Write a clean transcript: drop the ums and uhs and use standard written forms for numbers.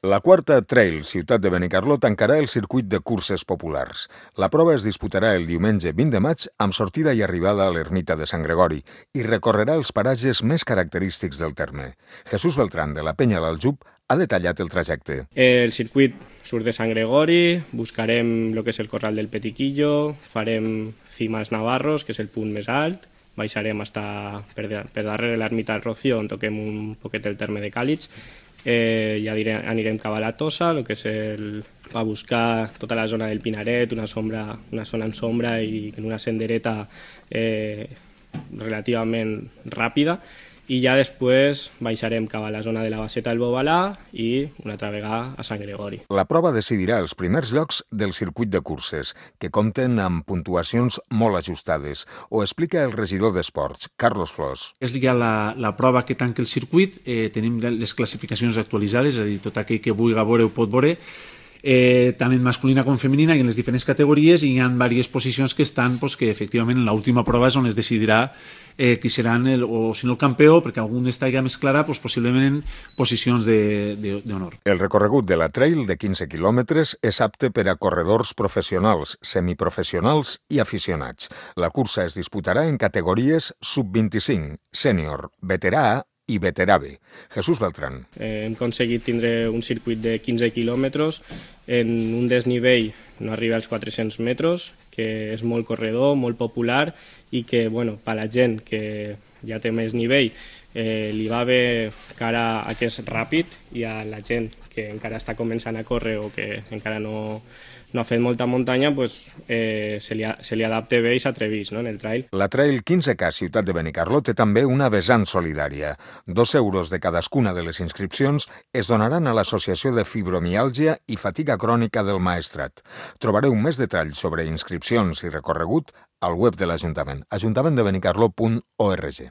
La quarta Trail Ciutat de Benicarló tancarà el circuit de curses populars. La prova es disputarà el diumenge 20 de maig amb sortida i arribada a l'ermita de Sant Gregori i recorrerà els paratges més característics del terme. Jesús Beltrán, de la Penya l'Aljub, ha detallat el trajecte. El circuit surt de Sant Gregori, buscarem el que és el Corral del Petiquillo, farem Cimas Navarros, que és el punt més alt, baixarem per darrere l'ermita del Rocío, on toquem un poquet el terme de Càlig, i anirem cap a la Tossa, el que és a buscar tota la zona del Pinaret, una zona en sombra i en una sendereta relativament ràpida, i ja després baixarem cap a la zona de la Baseta del Bobalà i una altra vegada a Sant Gregori. La prova decidirà els primers llocs del circuit de curses, que compten amb puntuacions molt ajustades, ho explica el regidor d'Esports, Carlos Flors. És ja la prova que tanca el circuit, tenim les classificacions actualitzades, és a dir, tot aquell que vulgui veure ho pot veure, tant en masculina com femenina i en les diferents categories, i hi ha diverses posicions que estan que efectivament en l'última prova és on es decidirà qui serà o si no el campió, perquè algun estarà més clara, possiblement en posicions d'honor. El recorregut de la Trail de 15 quilòmetres és apte per a corredors professionals, semiprofessionals i aficionats. La cursa es disputarà en categories sub-25, sènior, veterà A i veterà B. Jesús Beltrán. Hem aconseguit tindre un circuit de 15 quilòmetres en un desnivell no arriba als 400 metres, que és molt corredor, molt popular i que, per la gent que ja té més nivell, li va bé cara a que és ràpid, i a la gent que encara està començant a córrer o que encara no ha fet molta muntanya, se li adapta bé i s'atreveix en el trail. La Trail 15K Ciutat de Benicarló té també una vessant solidària. 2 euros de cadascuna de les inscripcions es donaran a l'Associació de Fibromiàlgia i Fatiga Crònica del Maestrat. Trobareu més detalls sobre inscripcions i recorregut al web de l'Ajuntament, ajuntamenttdebenicarló.org.